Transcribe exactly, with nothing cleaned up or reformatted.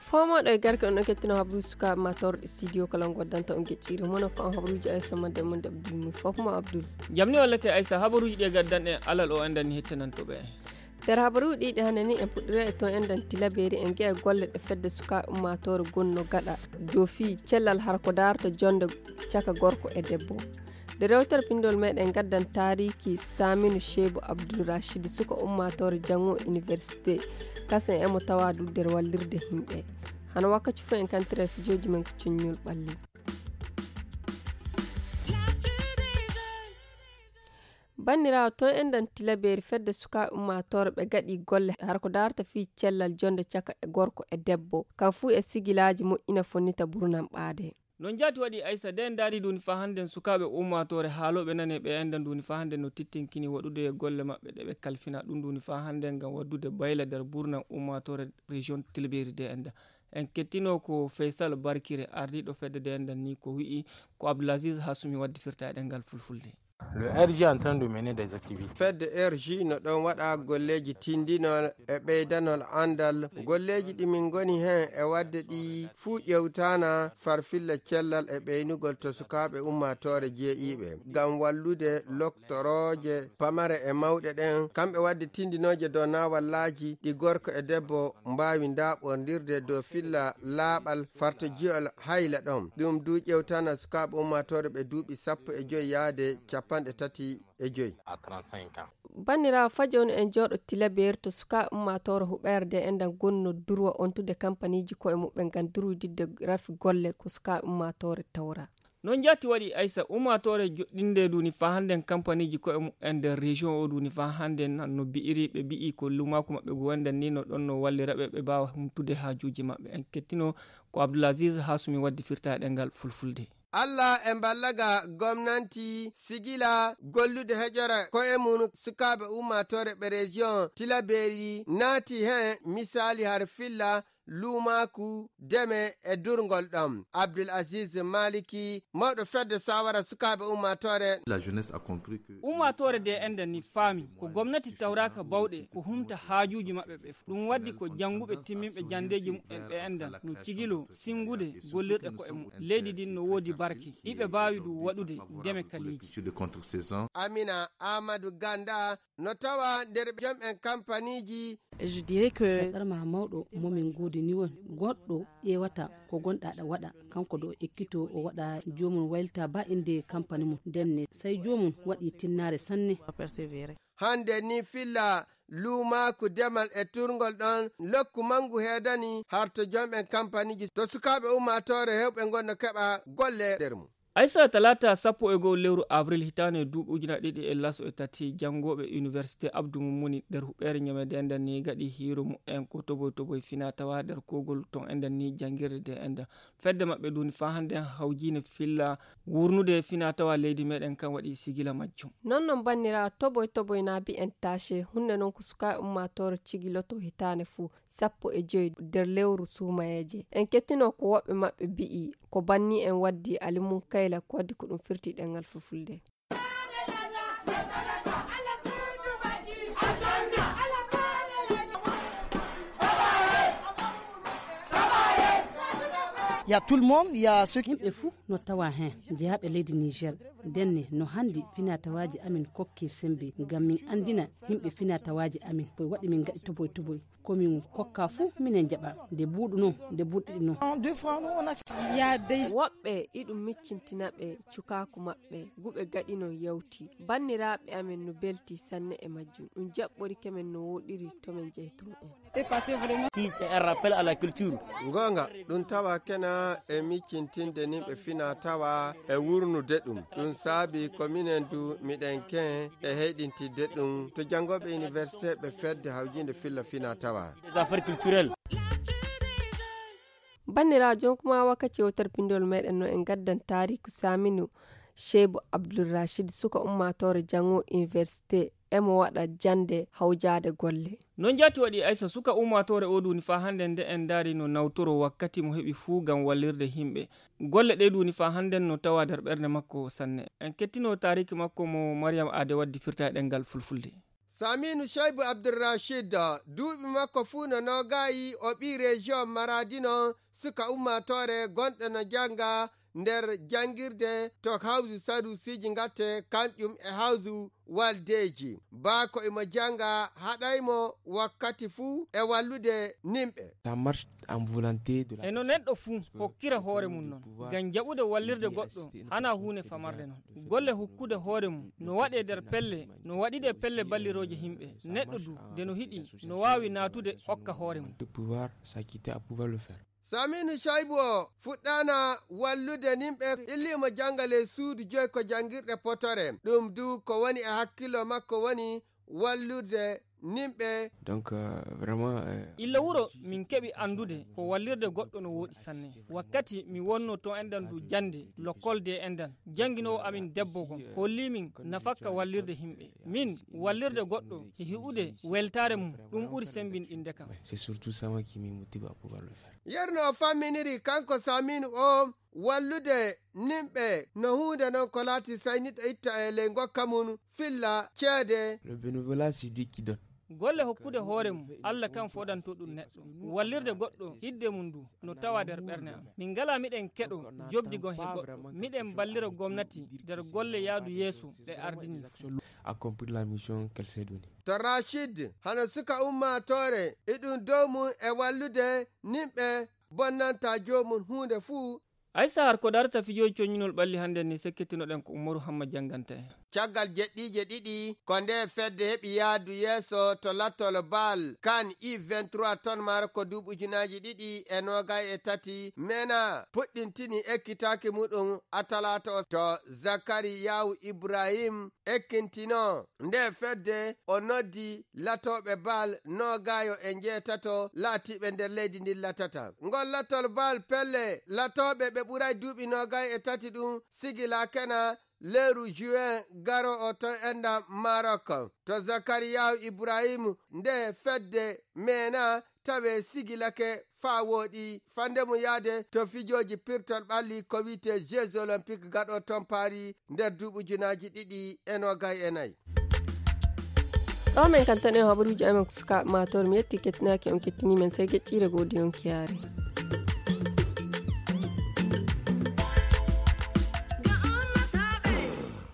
Fomoɗo e garke on ɗo kettino habru sukaaɓe ma torɗe studio kala on goddanta on gecciri mono ko on habruji aysa madde mon de abdul mun fof mo abdul. Jamni walla ke aysa habaruji ɗi gaddan en alal o endan ni hettanantoɓe en. Nder habaruji ɗiɗi hannde ni en puɗɗira e ton endan tilaberi en geya golle ɗe fedde sukaaɓe ummatore gonno gaɗa dow fii cellal har ko darata jonde caka gorko e debbo. Nde rewtere pindol meɗen gaddan taariki saminu shebu abdul rachid suka ummatore jango université kasen emo tawa du nder wallirde himɓe. Hano wakkati fof en kantira e fijooji men ko coññol ɓalli. Banndiraawo ton endan tilaberi fedde sukaaɓe ummatore ɓe gaɗi golle har ko darata fii cellal jonde caka e gorko e debbo kan fuu e sigilaaji moƴƴina fonnita burnan ɓaade. No njaati waɗi aysa de ndaari duni fa hannden sukaaɓe ummatore haalooɓe nane ɓe endan duni fa hannden no tittinkini waɗude e golle maɓɓe ɗe ɓe kalfina ɗum duni fa hannden ngam waɗude bayla nder burnan ummatore région tilberi de enda. En kettino ko faysal barkire ardiiɗo fedde de endan ni ko wi'i ko abdulaziz hasumi waddi firta e ɗengal fulfulde. Le R G est en train de mener des activités. Fedde R G no ɗon waɗa golleeji tindinol e ɓeydanol anndal. Golleeji ɗi min ngoni heen e waɗde ɗi fuu ƴewtana farfilla cellal e ɓeynugol to sukaaɓe ummaatoore jeeyiiɓe ngam wallude loktorooje pamare e mawɗe ɗen, kamɓe waɗde tindinooje dow naawallaaji ɗi gorko e debbo mbaawi ndaaɓondirde dow filla laaɓal farta jiyol hayla ɗon. Ɗum du ƴewtana sukaaɓe ummaatoore ɓe duuɓi sappo e joy yaade capanɗe tati e joy. Banniraawo fajo on en jooɗo tilabeeri to sukaaɓe ummaatoore huɓeerde enɗan gonno durwa ontude kampaniiji koye muɓɓen ngam durwididde rafi golle ko sukaaɓe ummaatoore tawra. Noon jaati waɗi aysa ummaatoore joɗɗinde duuni faa hannden kampaniiji koye muɓɓen nder région o duuni faa hannden no bi'iri ɓe bi'i ko lumaaku maɓɓe ngu wonɗen ni no ɗon no wallira ɓe ɓe mbaawa humtude haajuuji maɓɓe en kettino ko abdoulaziz hasumi waddi firta e ɗengal fulfulde. Alla e mballaga gomnanti sigila gollude heƴora koye mum sukaaɓe ummaatoore ɓe région tilabeeri naati heen misaali har filla luumaaku deme e durngol ɗam abdul aziz maliki mawɗo fedde sawara sukaaɓe ummaatoore. La jeunesse a compris que ummaatoore de ende ni faami ko gomnati tawraka bawɗe ko humta haajuuji maɓɓe ɓe ɗum waddi ko jannguɓe timminɓe janndeeji muɓɓen ɓe enda no cigilo sinngude gollirɗe koye mum leydi ndin no woodi barke iɓe mbaawi ɗum waɗude ndeme kaliiji. Amina amadou ganda no tawa nder jom'en kampaniiji. Je dirais que seɗɗarma mawɗo momin goodi ni won goɗɗo ƴeewata ko gonɗa ɗa waɗa kanko ɗo ekkito o waɗa joomum waylita ba innde kampani mum ndenne sey joomum waɗi tinnaare sanne. Hannde ni filla luumaaku demal e turngol ɗon lokku manngu heedani harto jom'en kampaniiji to sukaaɓe ummaatoore heewɓe ngon no keɓa golle nder mum. Aysa talaata sappo e goo lewru avril hitaande duuɓi ujuna ɗiɗi e laso e tati janngooɓe université abdu mum muni nder huɓeere ñamede nden ni gaɗi hiiro mumen ko toboy toboy fina tawa nder kogol ton enden ni janngirde de enden fedde maɓɓe duuni faa hannden hawjiine filla wurnude fina tawa leydi meɗen kan waɗi sigila majjum. Non non bannira toboy toboy na mbi'en tache hunde non ko sukaaɓe ummaatoore cigiloto hitaande fuu sappo e joy nder lewru suumayeeje en kettino ko woɓɓe maɓɓe mbi'i ko banni en waddi alimun kayla ko waddi ko ɗum firti ɗengal fulfulde. Ya tout le monde ya ceux qui yimɓe fuu no tawa heen jeyaaɓe leydi niger ndenne no hanndi finatawaaji amin kokki semmbe ngam min anndina yimɓe finatawaaji amin ko waɗi min ngaɗi toboy toboy ko min kokka fuu minen njaɓa nde buuɗuno nde buuɗiɗino. Woɓɓe iɗum miccintina ɓe cukaaku maɓɓe guɓe gaɗi non yawti banniraaɓe amen no belti sanne e majjum ɗum jaɓɓorike men no wooɗiri to men jeyto en. Goonga ɗum tawa kena e miccintinde nimɓe fina tawa e wurnude ɗum ɗum saabi ko minen du miɗen ken e heyɗintidde ɗum to janngooɓe université ɓe fedde hawjinde filla fina tawa. Banniraajo jonkuma wakkati yewtere pindol meɗen no en gaddan taariku saminu shebu abdulrachid suka ummatore jango université emo waɗa jannde hawjaade golle. Noon jaati waɗi Aysa, suka ummaatoore oo duuni faa hannden nde en ndaari no nawtoroo wakkati mo heɓi fuu ngam wallirde yimɓe. Golle ɗee duuni faa hannden no tawaa nder ɓernde makko sanne. En kettinoo taariiki makko mo Mariyam Aade waddi firta e ɗemngal Fulfulde. Saminu Shaibu Abdurrashid, duuɓi makko fuu no noogaayi, o ɓii région Maradi noon, suka ummaatoore gonɗo no jannga nder janngirde to hawsu Sadusiiji Ngatte, kanƴum e hawsu Waldeeji. Baa ko imo jannga haɗay mo wakkati fuu e wallude nimɓe. La marche en volonté de la E no neɗɗo fuu hokkira hoore mum noon, ngam jaɓude wallirde goɗɗo, hana huunde famarde noon. Golle hokkude hoore mum no waɗee nder pelle, no waɗi ɗe pelle ballirooje yimɓe. Neɗɗo du, nde no hiɗi, no waawi naatude okka hoore mum. De pouvoir s'acquitter à pouvoir le faire. Saminu Shaibu o fuɗɗaana wallude nimɓe, illiimo jannga ley suudu joy ko janngirɗe potore. Ɗum du ko woni e hakkillo makko woni wallude nimɓe. Donc, euh, vraiment, euh, Illa wuro min keɓi anndude ko wallirde goɗɗo no wooɗi sanne. Wakkati mi wonno to enɗan du jannde, lokkol de enɗan, jannginoowo amin debbo gom holli min nafakka wallirde yimɓe. Min, wallirde goɗɗo e hi'ude weltaare mum, ɗum ɓuri semmbinɗinde kam. C'est surtout ça moi qui me motive à pouvoir le faire. Yerno o famminiri kanko Saminu o wallude nimɓe no huunde noon ko laati sayniɗo itta e ley ngokka mum filla ceede. Le bénévolat, c'est Dieu qui donne. Golle hokkude hoore mum, Allah kan fodanto ɗum neɗɗo. Wallirde goɗɗo, hidde mum du, no tawa nder ɓerne am. Min ngala miɗen keɗo jobdi gon he goɗɗo. Miɗen ballira gomnati nder golle yaadu yeeso ɗe ardini. Accomplir la mission qu'elle s'est donnée. To Rachid, hano suka ummaatoore, iɗum dow mum e wallude nimɓe bonnanta joomum huunde fuu. Aysa, har ko darta fijooji coññinol ɓalli hannden ni, sekkitinoɗen ko Umaru Hamma jannganta en. Caggal jeɗɗiije ɗiɗi, ko nde fedde heɓi yaadu yeeso to lattol bal kan I vingt-trois ton maaro ko duuɓi ujunaaji ɗiɗi e noogay e tati, mena puɗɗintini ekkitaaki muɗum a talaata o to Zakariyahu Ibrahim ekkintinoo nde fedde, o noddi latooɓe bal noogaayo e njeetato laatiiɓe nder leydi ndin latata. Ngol latol bal pelle latooɓe ɓe ɓuray duuɓi noogay e tati ɗum sigilakena leeru juin garo o ton enda Maroc. To Zakariyahu Ibrahim nde fedde meena tawe sigilake faa wooɗi fande mum yaade to fijooji pirtol ɓalli ko wi'etee Jeux Olympiques gaɗo ton Paris nder duuɓi ujunaaji ɗiɗi e noogay e nayi. Ɗo men kan tan en habaruuji amen ko sukaaɓe maatoor. Mi yetti kettinaaki on kettini men sey geƴƴiire goo de on kiyaare.